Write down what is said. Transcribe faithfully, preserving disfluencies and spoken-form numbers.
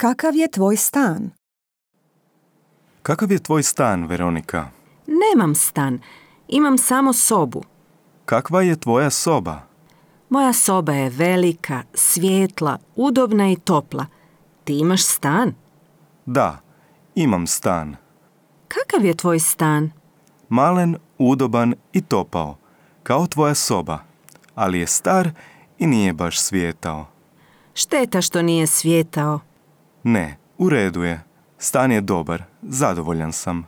Kakav je tvoj stan? Kakav je tvoj stan, Veronika? Nemam stan, imam samo sobu. Kakva je tvoja soba? Moja soba je velika, svijetla, udobna i topla. Ti imaš stan? Da, imam stan. Kakav je tvoj stan? Malen, udoban i topao, kao tvoja soba, ali je star i nije baš svijetao. Šteta što nije svijetao. Ne, u redu je. Stan je dobar, zadovoljan sam.